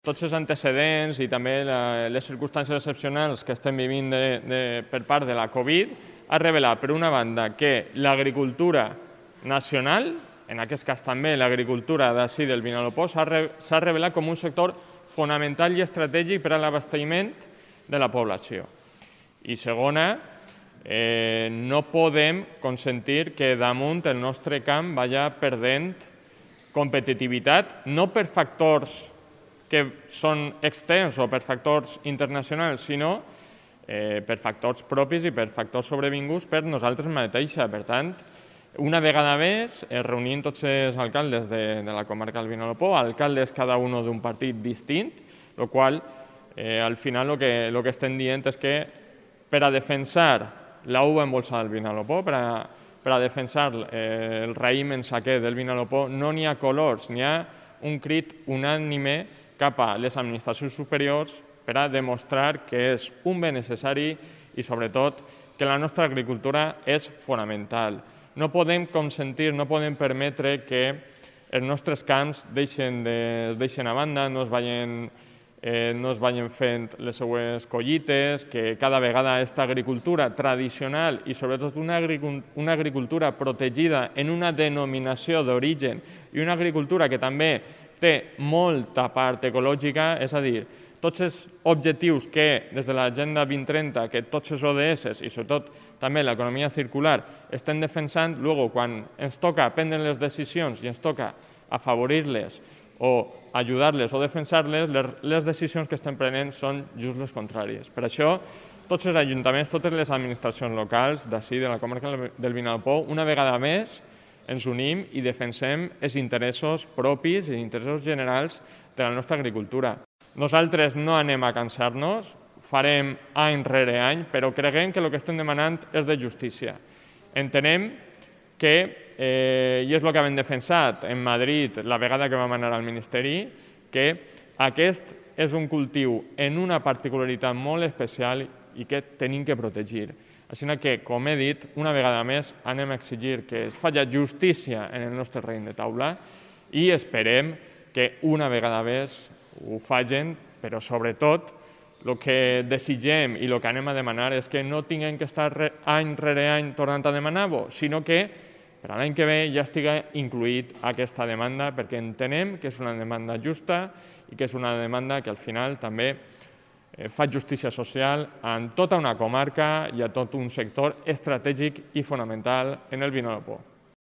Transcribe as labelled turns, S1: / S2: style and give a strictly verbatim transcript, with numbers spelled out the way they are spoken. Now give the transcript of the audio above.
S1: Tots els antecedents i també la, les circumstàncies excepcionals que estem vivint de, de, per part de la Covid ha revelat, per una banda, que l'agricultura nacional, en aquest cas també l'agricultura d'ací del Vinalopó, s'ha re, revelat com un sector fonamental i estratègic per a l'abastiment de la població. I segona, eh, no podem consentir que damunt el nostre camp vagi perdent competitivitat, no per factors que són externs o per factors internacionals, sinó eh, per factors propis i per factors sobrevinguts per nosaltres mateixos. Per tant, una vegada més, es reunim tots els alcaldes de, de la comarca del Vinalopó, alcaldes cada un d'un partit distint, el qual eh, al final el que, lo que estem dient és que per a defensar la uva embolsada del Vinalopó, per a, per a defensar eh, el raïm en saquer del Vinalopó, no n'hi ha colors, n'hi ha un crit unànime cap a les administracions superiors per a demostrar que és un bé necessari i, sobretot, que la nostra agricultura és fonamental. No podem consentir, no podem permetre que els nostres camps deixen, de, deixen a banda, no es vagin, eh, no es vagin fent les seues collites, que cada vegada aquesta agricultura tradicional i, sobretot, una, una agricultura protegida en una denominació d'origen i una agricultura que també té molta part ecològica, és a dir, tots els objectius que des de l'Agenda vint trenta, que tots els O D S i sobretot també l'economia circular estem defensant, luego quan ens toca prendre les decisions i ens toca afavorir-les o ajudar-les o defensar-les, les decisions que estem prenent són just les contràries. Per això, tots els ajuntaments, totes les administracions locals d'ací, de la comarca del Vinalopó, una vegada més, ens unim i defensem els interessos propis i els interessos generals de la nostra agricultura. Nosaltres no anem a cansar-nos, farem any rere any, però creguem que el que estem demanant és de justícia. Entenem que, eh, i és el que hem defensat en Madrid la vegada que vam anar al Ministeri, que aquest és un cultiu en una particularitat molt especial i que tenim que protegir. Així que, com he dit, una vegada més anem a exigir que es faci justícia en el nostre raïm de taula i esperem que una vegada més ho facin, però sobretot el que desitgem i el que anem a demanar és que no tinguem que estar any rere any tornant a demanar-ho, sinó que per a l'any que ve ja estigui incluït aquesta demanda, perquè entenem que és una demanda justa i que és una demanda que al final també fa justícia social en tota una comarca i a tot un sector estratègic i fonamental en el Vinalopó.